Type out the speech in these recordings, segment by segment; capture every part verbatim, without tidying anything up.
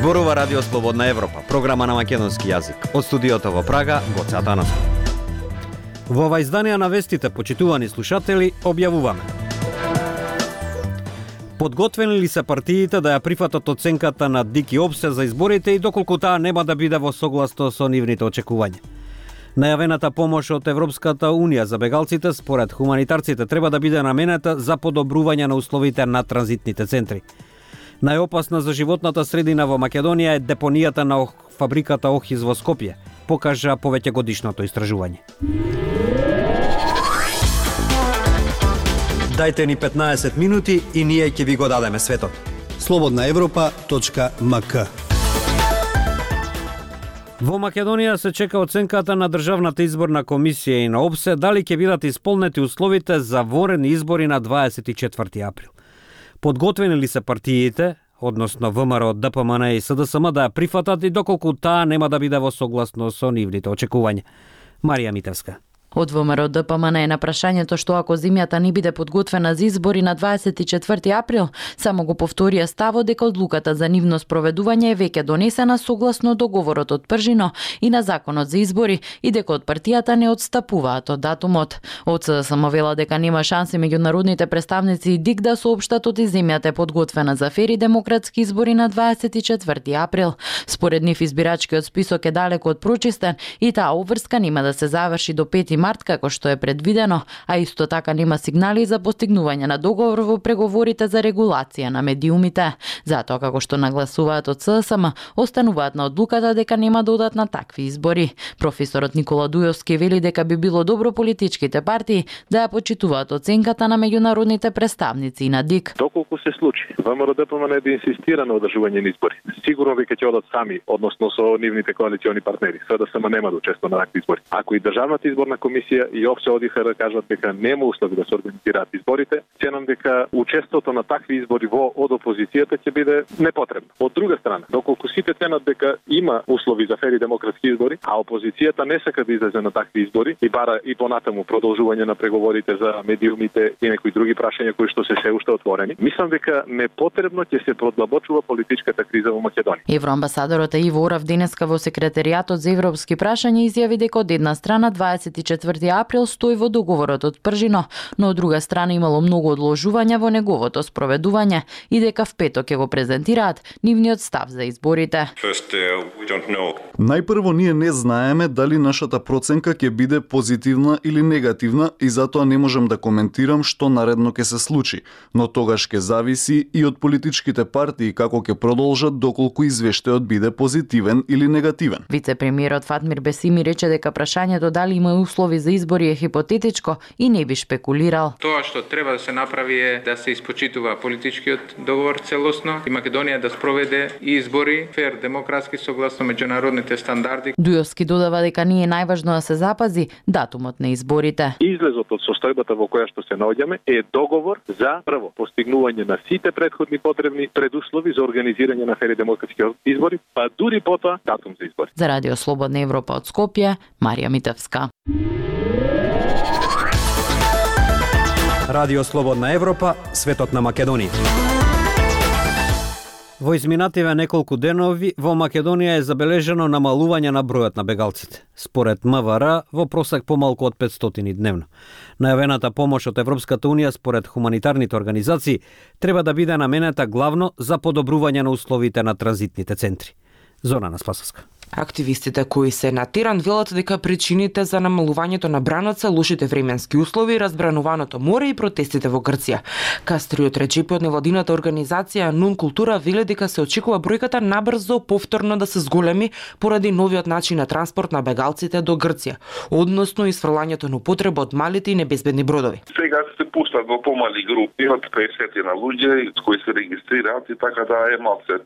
Зборува Радио Слободна Европа, програма на македонски јазик. Од студиото во Прага, Гоце Атанасов. Во ова издание на вестите, почитувани слушатели, објавуваме: подготвени ли се партиите да ја прифатат оценката на Дики Опсе за изборите и доколку таа нема да биде во согласно со нивните очекувања? Најавената помош од Европската Унија за бегалците според хуманитарците треба да биде наменета за подобрување на условите на транзитните центри. Најопасна за животната средина во Македонија е депонијата на фабриката Охиз во Скопје, покажа повеќегодишното истражување. Дајте ни петнаесет минути и ние ќе ви го дадеме светот. слободна европа точка ем ка. Во Македонија се чека оценката на Државната изборна комисија и на ОПСЕ дали ќе бидат исполнети условите за ворени избори на дваесет и четврти април. Подготвени ли се партиите, односно ВМРО, ДПМН и СДСМ да ја прифатат и доколку таа нема да биде во согласно со нивните очекувања? Марија Митевска. Од ВМРО ДПМН е на прашањето што ако земјата не биде подготвена за избори на дваесет и четврти април, само го повторија ставот дека одлуката за нивно спроведување е веќе донесена согласно договорот од Пржино и на законот за избори и дека од партијата не отстапуваат од датумот. Од СДСМ вела дека нема шанси меѓународните представници и ДИК да соопштат од земјата е подготвена за фери демократски избори на дваесет и четврти април. Според нив избирачкиот список е далеку од прочистен и таа обврска нема да се заврши до пети март како што е предвидено, а исто така нема сигнали за постигнување на договор во преговорите за регулација на медиумите. Затоа, како што нагласуваат од СДСМ, остануваат на одлуката дека нема да одат на такви избори. Професорот Никола Дујовски вели дека би било добро политичките партии да ја почитуваат оценката на меѓународните представници и на ДИК. Доколку се случи ВМРО ДПМН да инсистира на одржување на избори, сигурно дека ќе одат сами, односно со нивните коалициони партнери. СДСМ нема да учествува на такви избори. Ако и Државната изборна комисија и ОПСЕ одиха да кажат дека нема услови да се организираат изборите, ценам дека учеството на такви избори во од опозицијата ќе биде непотребно. Од друга страна, доколку сите ценат дека има услови за фери демократски избори, а опозицијата не сака да излезе на такви избори и бара и понатаму продолжување на преговорите за медиумите и некои други прашања кои што се се уште отворени, мислам дека непотребно ќе се продлабочува политичката криза во Македонија. Евроамбасадорот Иво Орав денеска во секретаријатот за европски прашања изјави дека од една страна дваесет и четврти април стои во договорот од Пржино, но од друга страна имало многу одложувања во неговото спроведување и дека в петок ќе го презентираат нивниот став за изборите. First, uh, Најпрво ние не знаеме дали нашата проценка ќе биде позитивна или негативна и затоа не можам да коментирам што наредно ќе се случи, но тогаш ќе зависи и од политичките партии како ќе продолжат доколку извештајот биде позитивен или негативен. Вице-премиерот Фатмир Бесими рече дека прашањето дали има услови за избори е хипотетичко и не би шпекулирал. Тоа што треба да се направи е да се испочитува политичкиот договор целосно и Македонија да спроведе избори фер, демократски согласно меѓународните стандарди. Дујовски додава дека не е најважно да се запази датумот на изборите. Излезот од состојбата во која што се наоѓаме е договор за прво постигнување на сите претходни потребни предуслови за организирање на фери демократски избори, па дури потоа датум за избори. За Радио Слободна Европа од Скопје, Марија Митевска. Радио Слободна Европа, светот на Македонија. Во изминативе неколку денови во Македонија е забележено намалување на бројот на бегалците. Според МВР во просек помалку од петстотини дневно. Најавената помош од Европската Унија според хуманитарните организации треба да биде наменета главно за подобрување на условите на транзитните центри. Зорана Спасовска. Активистите кои се на терен велат дека причините за намалувањето на бранот се лошите временски услови, разбрануваното море и протестите во Грција. Кастриот Речепи од невладината организација Нун Култура вели дека се очекува бројката набрзо повторно да се зголеми поради новиот начин на транспорт на бегалците до Грција, односно исфрлањето на употреба од малите и небезбедни бродови. Сега се пуштат во помали групи од петдесет на луѓе кои се регистрираат и така да е малце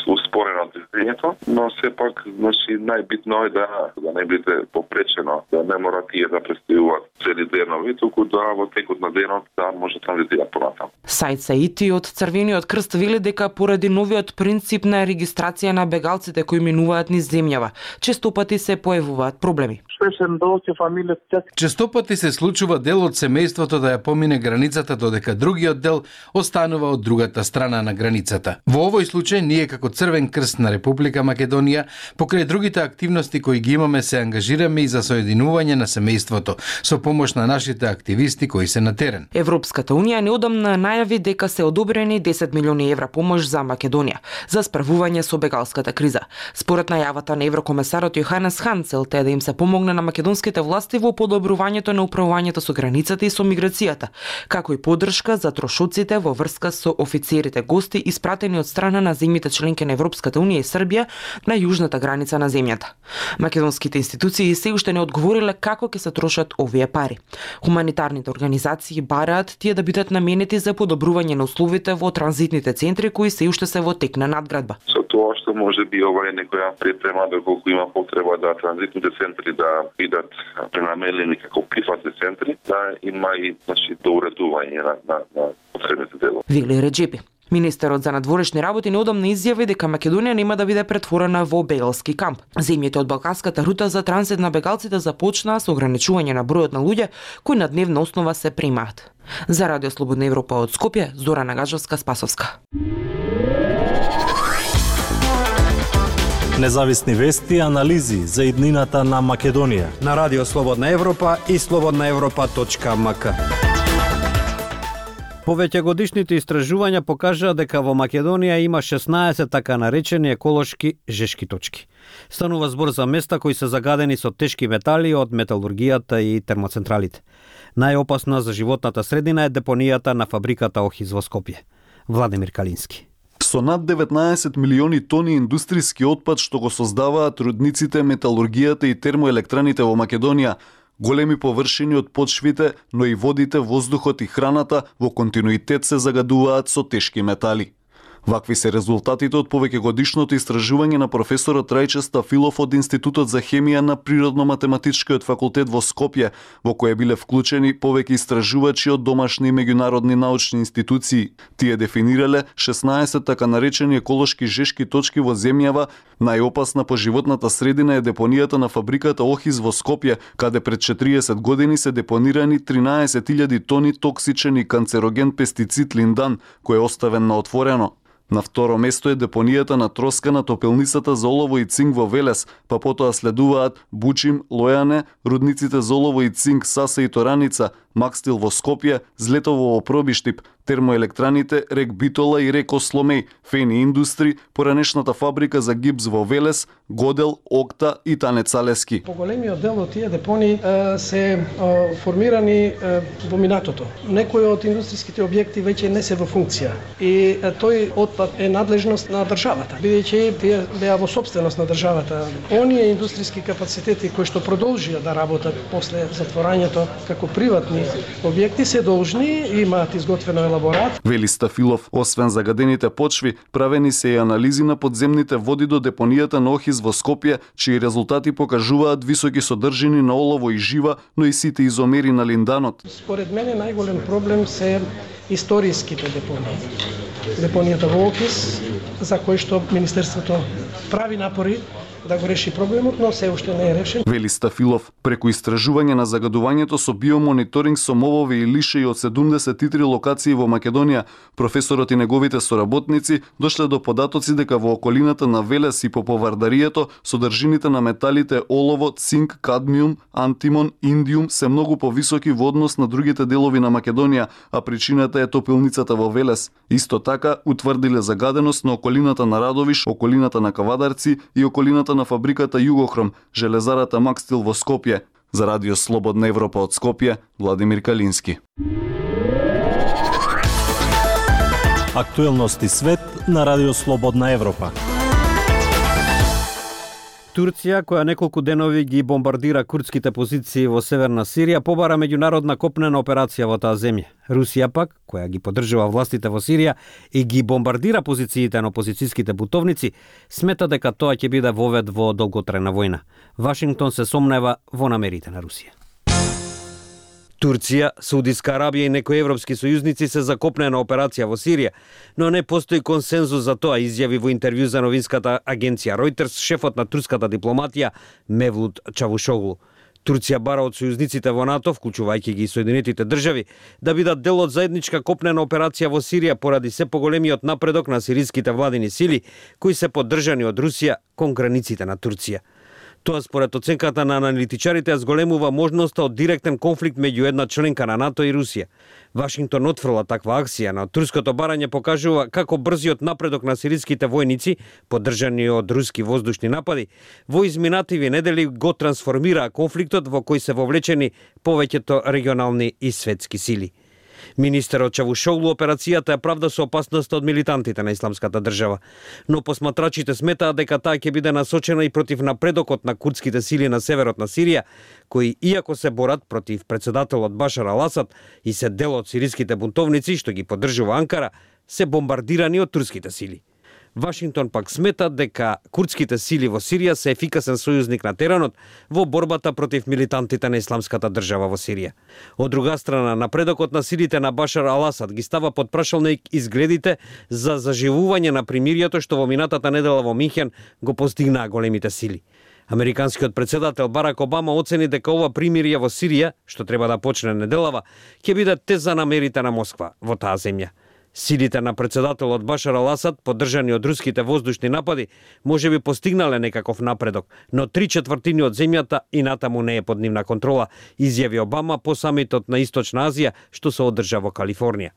успорено движењето, но сепак значи најбитно е да да не биде попречено, да не мора тие да престојуваат цели денови, туку да во текот на денот да може транзитираат понатаму. Саид Саити од Црвениот крст вели дека поради новиот принцип на регистрација на бегалците кои минуваат низ земјава, често пати се појавуваат проблеми. успешен до ќе фамилија. Често пати се случува дел од семејството да ја помине границата, додека другиот дел останува од другата страна на границата. Во овој случај ние како Црвен крст на Република Македонија, покрај другите активности кои ги имаме, се ангажираме и за соединување на семејството со помош на нашите активисти кои се на терен. Европската унија неодамна најави дека се одобрени десет милиони евра помош за Македонија за справување со бегалската криза. Според најавата на еврокомесарот Јоханес Хан, целта е да им се помогне на македонските власти во подобрувањето на управувањето со границата и со миграцијата, како и поддршка за трошоците во врска со офицерите гости испратени од страна на земјите членки на Европската унија и Србија на јужната граница на земјата. Македонските институции се уште не одговориле како ќе се трошат овие пари. Хуманитарните организации бараат тие да бидат наменети за подобрување на условите во транзитните центри кои се уште се во тек на надградба. Со тоа што може би ова е некоја припрема доколку има потреба да транзитните центри да бидат пренамелени како прифатни центри, да има и значи доуредување на на, на потребните делови. Вели Реджепи. Министерот за надворешни работи неодамна изјави дека Македонија нема да биде претворена во бегалски камп. Земјите од балканската рута за транзит на бегалците започнаа со ограничување на бројот на луѓе кои на дневна основа се примаат. За Радио Слободна Европа од Скопје, Зора Нагажевска-Спасовска. Независни вести и анализи за иднината на Македонија на Радио Слободна Европа и слободна европа точка ем ка. Повеќе годишните истражувања покажаа дека во Македонија има шеснаесет така наречени еколошки жешки точки. Станува збор за места кои се загадени со тешки метали од металургијата и термоцентралите. Најопасна за животната средина е депонијата на фабриката Охиз во Скопје. Владимир Калински. Со над деветнаесет милиони тони индустријски отпад што го создаваат рудниците, металургијата и термоелектраните во Македонија, големи површини од почвите, но и водите, воздухот и храната во континуитет се загадуваат со тешки метали. Вакви се резултатите од повеќегодишното истражување на професорот Рајче Стафилов од Институтот за хемија на Природно-математичкиот факултет во Скопје, во кој биле вклучени повеќе истражувачи од домашни и меѓународни научни институции. Тие дефинирале шеснаесет така наречени еколошки жешки точки во земјава. Најопасна по животната средина е депонијата на фабриката Охиз во Скопје, каде пред четириесет години се депонирани тринаесет илјади тони токсичен и канцероген пестицид линдан, кој е оставен на отворено. На второ место е депонијата на троска на топелницата за олово и цинк во Велес, па потоа следуваат Бучим, Лојане, рудниците за олово и цинк Саса и Тораница, Макстил во Скопје, Злетово во Пробиштип, термоелектраните Рек Битола и Рек Осломеј, Фени Индустри, поранешната фабрика за гипс во Велес, Годел, Окта и Танец Алески. Поголемиот дел од тие депони е, се е, формирани е, во минатото. Некои од индустријските објекти веќе не се во функција и е, тој отпад е надлежност на државата, бидејќи тие беа во собственост на државата. Оние индустријски капацитети кои што продолжија да работат после затворањето како приватни објекти се должни имаат изготвено елаборат. Вели Стафилов, освен загадените почви, правени се и анализи на подземните води до депонијата на Охиз во Скопје, чии резултати покажуваат високи содржини на олово и жива, но и сите изомери на линданот. Според мене најголем проблем се историските депонии. Депонијата во Охиз, за кој што Министерството прави напори да го реши проблемот, но се уште не е решен. Вели Стафилов, преку истражување на загадувањето со биомониторинг со мовови и лишеи од седумдесет и три локации во Македонија, професорот и неговите соработници дошле до податоци дека во околината на Велес и по повардарието содржините на металите олово, цинк, кадмиум, антимон, индиум се многу повисоки во однос на другите делови на Македонија, а причината е топилницата во Велес. Исто така утврдиле загаденост на околината на Радовиш, околината на Кавадарци и околината на фабриката Југохром, железарата Макстил во Скопје. За Радио Слободна Европа од Скопје, Владимир Калински. Актуелности свет на Радио Слободна Европа. Турција, која неколку денови ги бомбардира курдските позиции во северна Сирија, побара меѓународна копнена операција во таа земја. Русија пак, која ги поддржува властите во Сирија и ги бомбардира позициите на опозицијските бутовници, смета дека тоа ќе биде вовед во долготрајна војна. Вашингтон се сомнева во намерите на Русија. Турција, Саудиска Арабија и некои европски сојузници се за копнена операција во Сирија, но не постои консензус за тоа, изјави во интервју за новинската агенција Reuters шефот на турската дипломатија Мевлут Чавушоглу. Турција бара од сојузниците во НАТО, вклучувајќи ги и Соединетите држави, да бидат дел од заедничка копнена операција во Сирија поради се поголемиот напредок на сириските владини сили, кои се поддржани од Русија кон границите на Турција. Тоа според оценката на аналитичарите зголемува можноста од директен конфликт меѓу една членка на НАТО и Русија. Вашингтон отфрла таква акција, но турското барање покажува како брзиот напредок на сириските војници, поддржани од руски воздушни напади, во изминативи недели го трансформира конфликтот во кој се вовлечени повеќето регионални и светски сили. Министерот Чавушоглу операцијата ја правда со опасноста од милитантите на Исламската држава, но посматрачите сметаат дека таа ќе биде насочена и против напредокот на курдските сили на северот на Сирија, кои иако се борат против председателот Башар ал-Асад и се дел од сириските бунтовници што ги поддржува Анкара, се бомбардирани од турските сили. Вашингтон пак смета дека курдските сили во Сирија се ефикасен сојузник на теренот во борбата против милитантите на Исламската држава во Сирија. Од друга страна, напредокот на силите на Башар ал-Асад ги става под прашалник изгледите за заживување на примирието што во минатата недела во Минхен го постигнаа големите сили. Американскиот председател Барак Обама оцени дека ова примирие во Сирија, што треба да почне неделава, ќе биде тест за намерите на Москва во таа земја. Силите на председателот Башар ал-Асад, поддржани од руските воздушни напади, може би постигнале некаков напредок, но три четвртини од земјата и натаму не е под нивна контрола, изјави Обама по самитот на Источна Азија што се одржа во Калифорнија.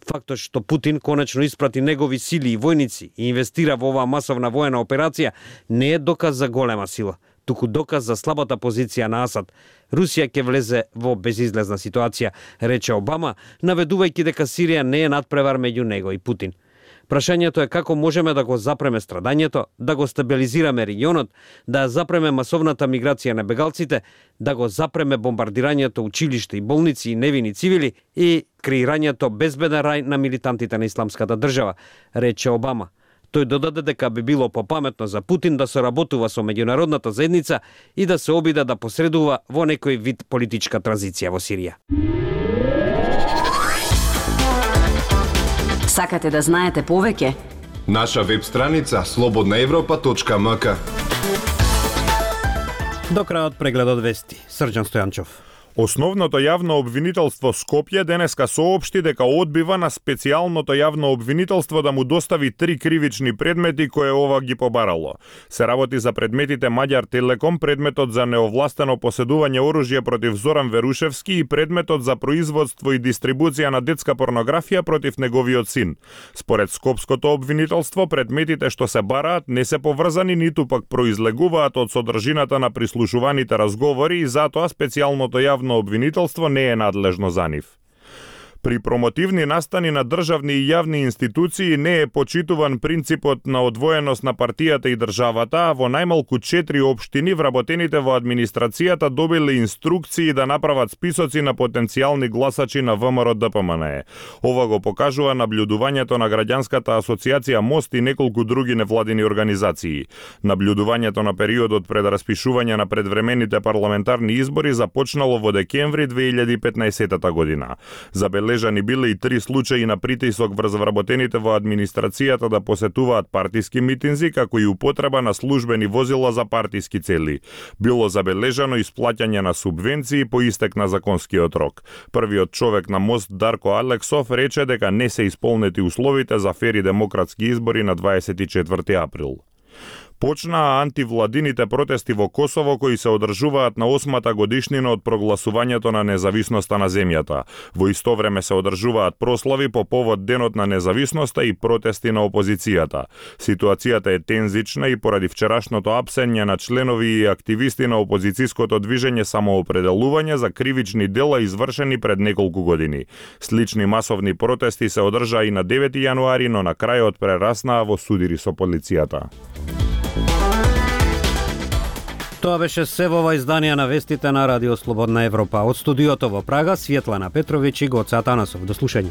Фактот што Путин конечно испрати негови сили и војници и инвестира во оваа масовна воена операција не е доказ за голема сила, туку доказ за слабата позиција на Асад. Русија ќе влезе во безизлезна ситуација, рече Обама, наведувајќи дека Сирија не е надпревар меѓу него и Путин. Прашањето е како можеме да го запреме страдањето, да го стабилизираме регионот, да ја запреме масовната миграција на бегалците, да го запреме бомбардирањето училишта и болници и невини цивили и креирањето безбеден рај на милитантите на Исламската држава, рече Обама. Тој додаде дека би било попаметно за Путин да соработува со меѓународната заедница и да се обиде да посредува во некој вид политичка транзиција во Сирија. Сакате да знаете повеќе? Наша веб страница слободна европа точка м к. До крајот прегледот вести. Срđan Стојанчов. Основното јавно обвинителство Скопје денеска соопшти дека одбива на специјалното јавно обвинителство да му достави три кривични предмети кои ова ги побарало. Се работи за предметите Маѓар Телеком, предметот за неовластено поседување оружје против Зоран Верушевски и предметот за производство и дистрибуција на детска порнографија против неговиот син. Според Скопското обвинителство, предметите што се бараат не се поврзани ниту пак произлегуваат од содржината на прислушуваните разговори и затоа специјалното јавно обвинителство не е надлежно за нив. При промотивни настани на државни и јавни институции не е почитуван принципот на одвоеност на партијата и државата, а во најмалку четири општини вработените во администрацијата добиле инструкции да направат списоци на потенцијални гласачи на ВМРО Д П М Н Е. Ова го покажува наблюдувањето на граѓанската асоциација Мост и неколку други невладини организации. Наблюдувањето на периодот пред распишување на предвремените парламентарни избори започнало во декември две илјади и петнаесетата година. Забележани биле и три случаи на притисок врз вработените во администрацијата да посетуваат партиски митинзи, како и употреба на службени возила за партиски цели. Било забележано исплаќање на субвенции по истек на законскиот рок. Првиот човек на Мост, Дарко Алексов, рече дека не се исполнети условите за фери демократски избори на дваесет и четврти април. Почнаа антивладините протести во Косово кои се одржуваат на осмата годишнина од прогласувањето на независноста на земјата. Во исто време се одржуваат прослави по повод Денот на независноста и протести на опозицијата. Ситуацијата е тензична и поради вчерашното апсење на членови и активисти на опозицијското движење Самоопределување за кривични дела извршени пред неколку години. Слични масовни протести се одржаа и на девети јануари, но на крајот прераснаа во судири со полицијата. Тоа беше се во ова издание на вестите на Радио Слободна Европа. Од студиото во Прага, Светлана Петровиќ и Гоце Атанасов. До слушање.